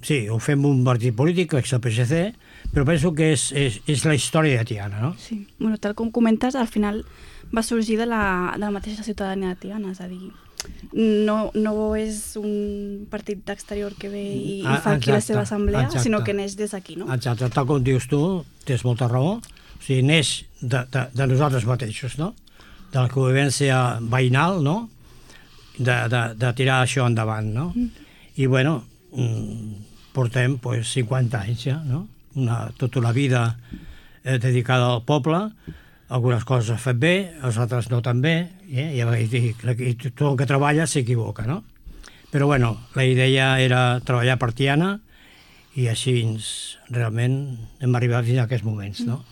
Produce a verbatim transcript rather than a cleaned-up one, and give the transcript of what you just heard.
sí, ho fem un partit polític, que és el P S C, però penso que és, és, és la història de Tiana, no? Sí, bueno, tal com comentes, al final va sorgir de la, de la mateixa ciutadania de Tiana, és a dir, no, no és un partit d'exterior que ve i, i fa aquí la seva assemblea, exacte, sinó que neix des d'aquí, no? Exacte, tal com dius tu, tens molta raó, o sigui, neix de, de, de nosaltres mateixos, no? De la convivència veïnal, no? De, de, de tirar això endavant, no? Mm. I, bueno, portem pues, cinquanta anys ja, no? Una, tota una vida eh, dedicada al poble, algunes coses ha fet bé, les altres no tan bé, eh? I, i, i tot el que treballa s'equivoca, no? Però, bueno, la idea era treballar per Tiana i així realment hem arribat fins a aquests moments, no?